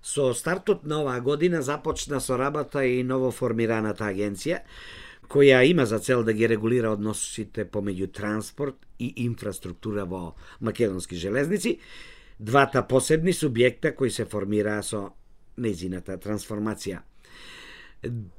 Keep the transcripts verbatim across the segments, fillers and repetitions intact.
Со стартот на оваа година започна со работа и новоформираната агенција, која има за цел да ги регулира односите помеѓу транспорт и инфраструктура во македонски железници, двата посебни субјекта кои се формираа со нејзината трансформација.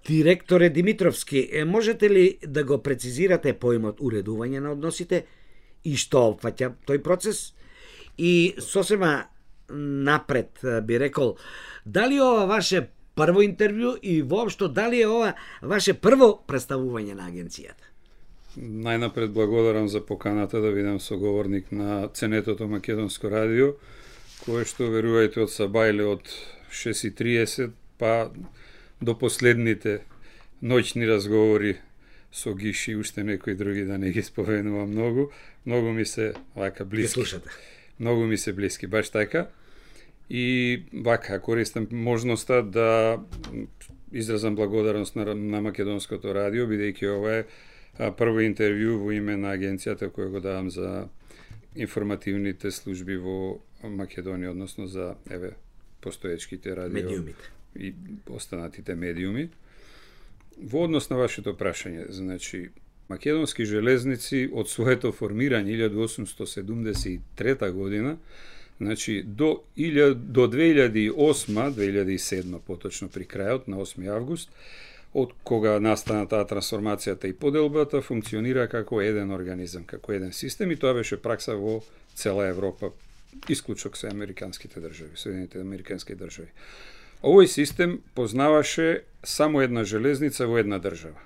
Директоре Димитровски, можете ли да го прецизирате поимот уредување на односите и што опфаќа тој процес? И сосема напред би рекол, дали ова ваше прво интервју и воопшто дали е ова ваше прво представување на агенцијата? Најнапред благодарам за поканата да бидам соговорник на ценетото Македонско радио, кое што верувајте од сабајле од шест и триесет па до последните ноќни разговори со Гиши и уште некои други, да не ги споменувам многу, многу ми се вака блиски. Многу ми се блиски, баш така. И вака користам можноста да изразам благодарност на, на Македонското радио, бидејќи ова е прво интервју во име на агенцијата која го давам за информативните служби во Македонија, односно за еве постоечките радио медиумите и останатите медиуми. Во однос на вашето прашање, значи Македонски железници од своето формирање илјада осумстотини седумдесет и трета година, значи до до две илјади и осма, две илјади и седма поточно при крајот на осми август, од кога настана таа трансформацијата и поделбата, функционира како еден организам, како еден систем, и тоа беше пракса во цела Европа, исклучок се американските држави, Соединетите американски држави. Овој систем познаваше само една железница во една држава.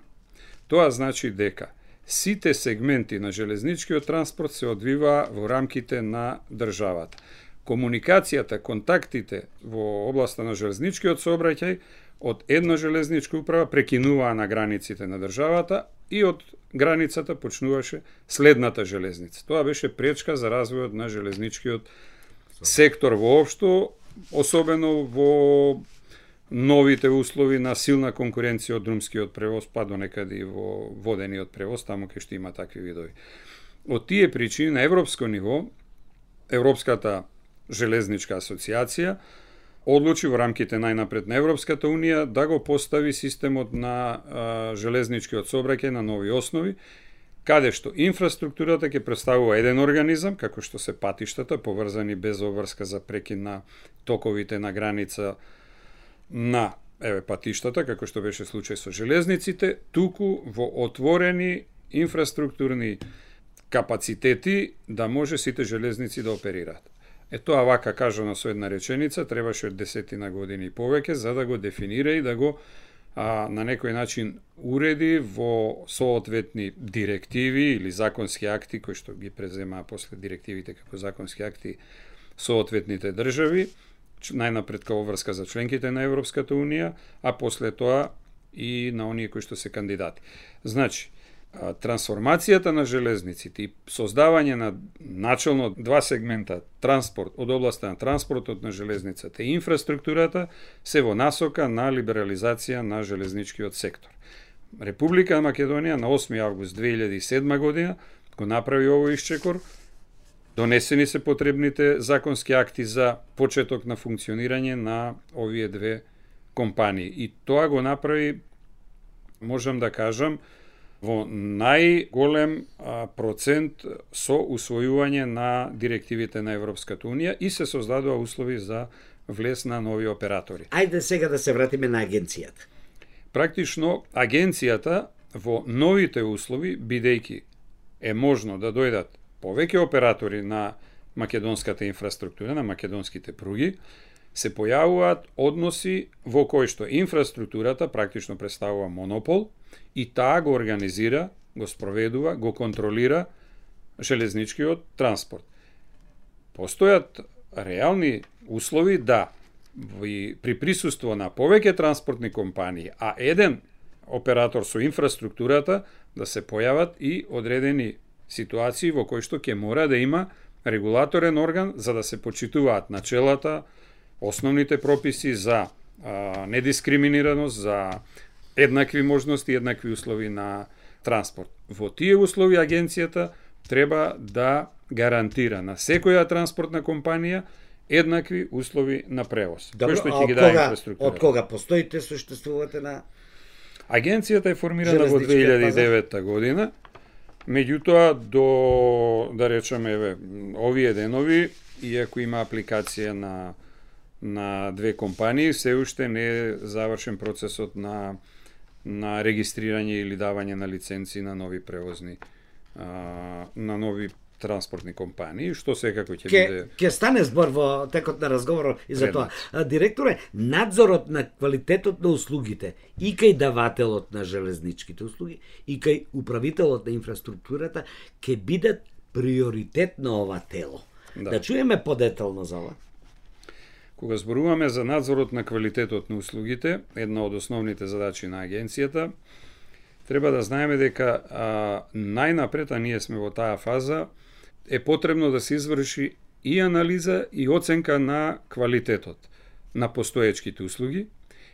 Тоа значи дека сите сегменти на железничкиот транспорт се одвиваа во рамките на државата. Комуникацијата, контактите во областа на железничкиот сообраќај од една железничка управа прекинуваа на границите на државата и од границата почнуваше следната железница. Тоа беше пречка за развојот на железничкиот сектор воопшто, особено во новите услови на силна конкуренција од друмскиот превоз, па до некаде и во водениот превоз, таму кај што има такви видови. Од тие причини на европско ниво, Европската железничка асоциација одлучи во рамките најнапред на Европската унија да го постави системот на а, железничкиот сообраќај на нови основи, каде што инфраструктурата ќе представува еден организам, како што се патиштата, поврзани без обврска за прекин на токовите на граница на еве патиштата, како што беше случај со железниците, туку во отворени инфраструктурни капацитети да може сите железници да оперираат. Е тоа вака кажано со една реченица, требаше од десетина години и повеќе за да го дефинира и да го а, на некој начин уреди во соодветни директиви или законски акти, кои што ги преземаа после директивите како законски акти соодветните држави, најнапред као врска за членките на Европската унија, а после тоа и на оние кои што се кандидати. Значи, трансформацијата на железниците и создавање на начелно два сегмента, транспорт од областа на транспортот на железницата и инфраструктурата, се во насока на либерализација на железничкиот сектор. Република Македонија на осми август две илјади и седма година го направи овој исчекор, донесени се потребните законски акти за почеток на функционирање на овие две компании. И тоа го направи, можам да кажам, во најголем а, процент со усвојување на директивите на Европската унија и се создадува услови за влез на нови оператори. Ајде сега да се вратиме на агенцијата. Практично, агенцијата во новите услови, бидејќи е можно да дојдат повеќе оператори на македонската инфраструктура, на македонските пруги, се појавуваат односи во кои што инфраструктурата практично представува монопол и таа го организира, го спроведува, го контролира железничкиот транспорт. Постојат реални услови да при присуство на повеќе транспортни компании, а еден оператор со инфраструктурата, да се појават и одредени ситуации во кои што ќе мора да има регулаторен орган за да се почитуваат начелата, основните прописи за а, недискриминираност, за еднакви можности, еднакви услови на транспорт. Во тие услови агенцијата треба да гарантира на секоја транспортна компанија еднакви услови на превоз. Добро, кој што а ќе ги од даде кога, инфраструктурата. од кога постоите, суштествувате на Агенцијата е формирана во Железничкиот две илјади и девета година, меѓутоа до, да речеме, еве, овие денови, иако има апликација на на две компании, се уште не е завршен процесот на на регистрирање или давање на лиценци на нови превозни а, на нови транспортни компании, што секако ќе Ке, биде... ке стане збор во текот на разговорот и за Предмет. тоа. А, директоре, надзорот на квалитетот на услугите и кај давателот на железничките услуги и кај управителот на инфраструктурата ќе бидат приоритет на ова тело. Да. Да чуеме подетално за ова. Кога зборуваме за надзорот на квалитетот на услугите, една од основните задачи на агенцијата, треба да знаеме дека а, најнапред, а ние сме во таа фаза, е потребно да се изврши и анализа и оценка на квалитетот на постоечките услуги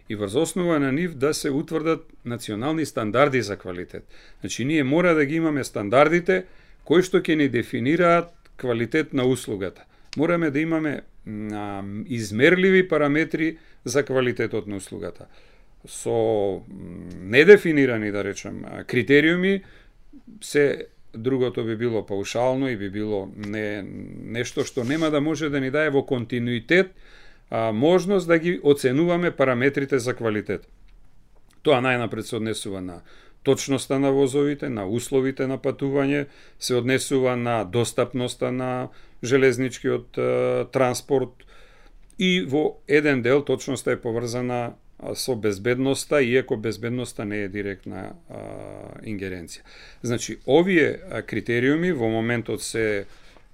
и врз основа на нив да се утврдат национални стандарди за квалитет. Значи, ние мора да ги имаме стандардите кои што ќе ни дефинираат квалитет на услугата. Мораме да имаме а, измерливи параметри за квалитетот на услугата. Со недефинирани, да речем, критериуми, се другото би било паушално и би било не, нешто што нема да може да ни даде во континуитет а, можност да ги оценуваме параметрите за квалитет. Тоа најнапред се однесува на точноста на возовите, на условите на патување, се однесува на достапноста на железничкиот е, транспорт и во еден дел точноста е поврзана со безбедноста, иако безбедноста не е директна а, ингеренција. Значи, овие критериуми во моментот се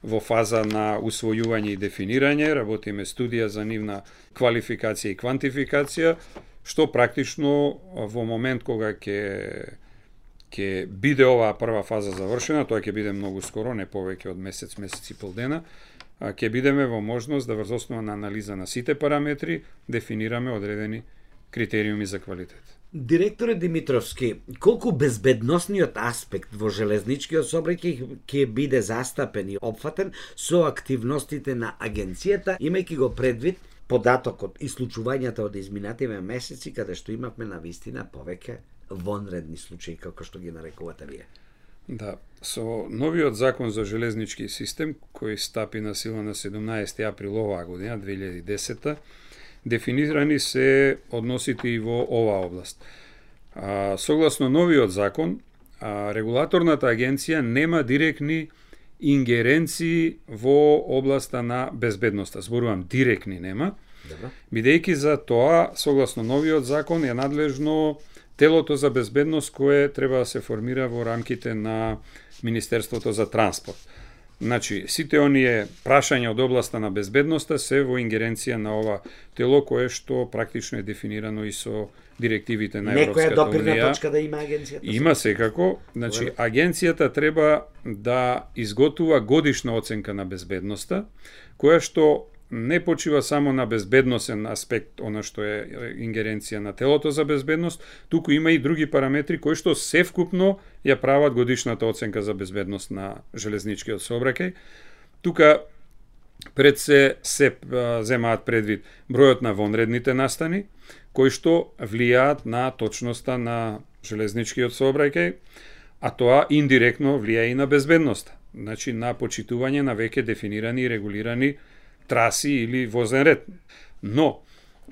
во фаза на усвојување и дефинирање, работиме студија за нивна квалификација и квантификација, што практично во момент кога ќе ќе биде оваа прва фаза завршена, тоа ќе биде многу скоро, не повеќе од месец, месец и пол дена, ќе бидеме во можност да врз основа на анализа на сите параметри дефинираме одредени критериуми за квалитет. Директоре Димитровски, колку безбедносниот аспект во железничкиот сообраќај ќе биде застапен и опфатен со активностите на агенцијата, имајќи го предвид податокот и случувањата од изминативе месеци, каде што имавме на вистина повеќе вонредни случаи, како што ги нарекувате вие? Да, со новиот закон за железнички систем, кој стапи на сила на седумнаесети април оваа година, две илјади и десета, дефинирани се односите и во оваа област. А, согласно новиот закон, а, регулаторната агенција нема директни ингеренции во областа на безбедноста. Зборувам директни нема, бидејќи за тоа, согласно новиот закон, е надлежно телото за безбедност кое треба да се формира во рамките на Министерството за транспорт. Значи, сите оние прашања од областа на безбедноста се во ингеренција на ова тело кое што практично е дефинирано и со директивите на Европската Некоја допирна унија. точка да има агенцијата? Има секако. Значи, агенцијата треба да изготува годишна оценка на безбедноста, која што не почива само на безбедносен аспект, она што е ингеренција на телото за безбедност, туку има и други параметри кои што севкупно ја прават годишната оценка за безбедност на железничкиот сообраќај. Тука пред се се земаат предвид бројот на вонредните настани, кои што влијаат на точноста на железничкиот сообраќај, а тоа индиректно влијае и на безбедноста, значи на почитување на веќе дефинирани и регулирани траси или возен ред. Но,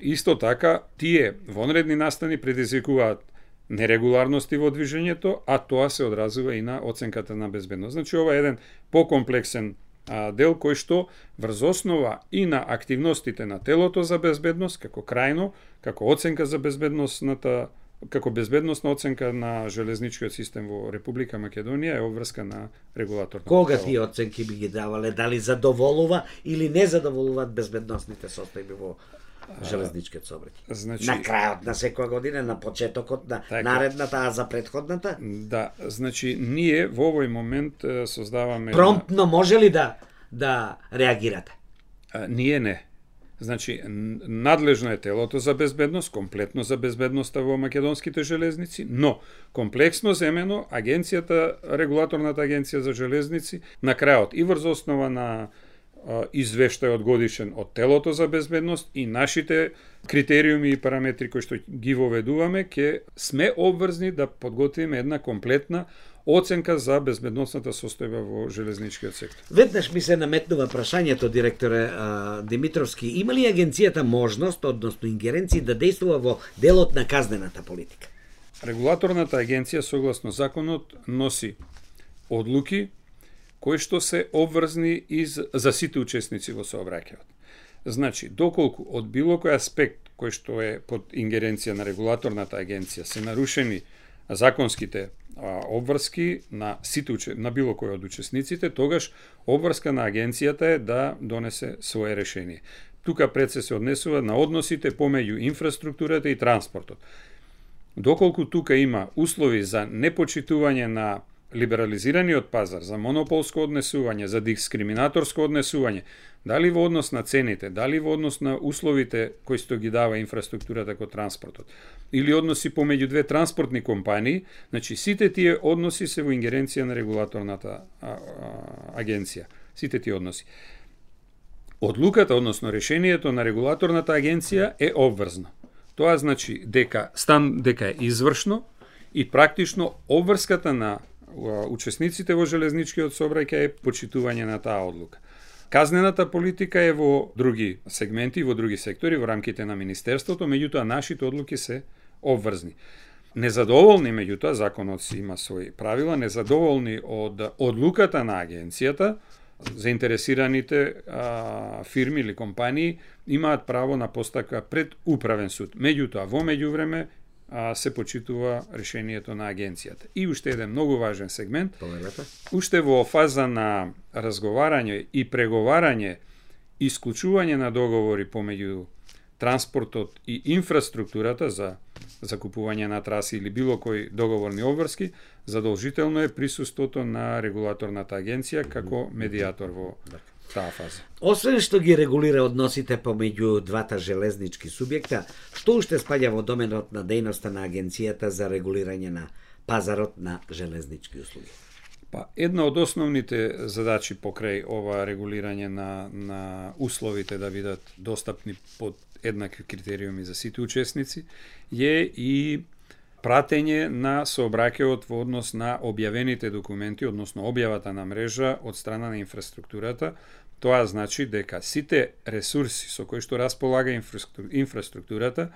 исто така, тие вонредни настани предизвикуваат нерегуларности во движењето, а тоа се одразува и на оценката на безбедност. Значи, ова е еден покомплексен а, дел кој што врз основа и на активностите на телото за безбедност, како крајно, како оценка за безбедностната како безбедносна оценка на железничкиот систем во Република Македонија е обврска на регулаторно. Кога тие оценки би ги давале, дали задоволува или не задоволуваат безбедносните состојби во железничкиот сообраќај? Значи, на крајот на секоја година, на почетокот на така, наредната, а за претходната? Да, значи ние во овој момент е, создаваме Промптно може ли да да реагирате? А, ние не. Значи, надлежно е телото за безбедност, комплетно за безбедноста во македонските железници, но комплексно земено агенцијата, регулаторната агенција за железници, на крајот и врз основа на извештајот годишен од телото за безбедност и нашите критериуми и параметри кои што ги воведуваме, ќе сме обврзни да подготвиме една комплетна оценка за безбедносната состојба во железничкиот сектор. Веднаш ми се наметнува прашањето, директоре а, Димитровски, има ли агенцијата можност, односно ингеренции, да действува во делот на казнената политика? Регулаторната агенција, согласно законот, носи одлуки кои што се обврзни из, за сите учесници во сообраќајот. Значи, доколку од било кој аспект кој што е под ингеренција на регулаторната агенција се нарушени законските а, обврски на сите на било кој од учесниците, тогаш обврска на агенцијата е да донесе свое решение. Тука пред се се однесува на односите помеѓу инфраструктурата и транспортот. Доколку тука има услови за непочитување на либерализираниот пазар, за монополско однесување, за дискриминаторско однесување, дали во однос на цените, дали во однос на условите кои што ги дава инфраструктурата како транспортот, или односи помеѓу две транспортни компании, значи сите тие односи се во ингеренција на регулаторната а, а, агенција. Сите тие односи. Одлуката, односно решението на регулаторната агенција е обврзно. Тоа значи дека стан дека е извршно и практично обврската на учесниците во железничкиот сообраќај е почитување на таа одлука. Казнената политика е во други сегменти, во други сектори, во рамките на Министерството, меѓутоа нашите одлуки се обврзни. Незадоволни, меѓутоа, законот си има своји правила, незадоволни од одлуката на агенцијата, заинтересираните а, фирми или компании имаат право на постапка пред управен суд. Меѓутоа, во меѓувреме а, се почитува решението на агенцијата. И уште еден многу важен сегмент, Повелете. уште во фаза на разговарање и преговарање, исклучување на договори помеѓу транспортот и инфраструктурата за закупување на траси или било кои договорни обврски, задолжително е присуството на регулаторната агенција како медиатор во таа фаза. Освен што ги регулира односите помеѓу двата железнички субјекта, што уште спаѓа во доменот на дејноста на агенцијата за регулирање на пазарот на железнички услуги? Па, една од основните задачи покрај ова регулирање на, на условите да бидат достапни под еднакви критериуми за сите учесници е и пратење на сообраќајот во однос на објавените документи, односно објавата на мрежа од страна на инфраструктурата. Тоа значи дека сите ресурси со кои што располага инфраструктурата,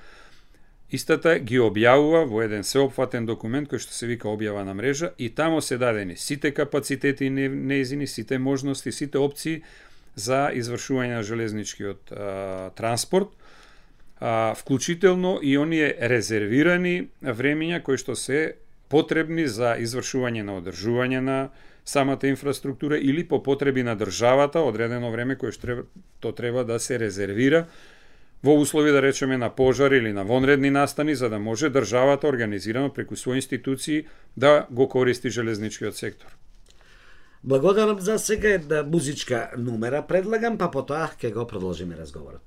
истата ги објавува во еден сеопфатен документ кој што се вика објава на мрежа и тамо се дадени сите капацитети неизини, сите можности, сите опции за извршување на железничкиот а, транспорт, а, вклучително и оние резервирани времења кои што се потребни за извршување на одржување на самата инфраструктура или по потреби на државата одредено време кое што то треба да се резервира во услови, да речеме, на пожар или на вонредни настани, за да може државата организирано преку своји институции да го користи железничкиот сектор. Благодарам за сега една музичка numera предлагам, па потоа ќе го продолжиме разговорот.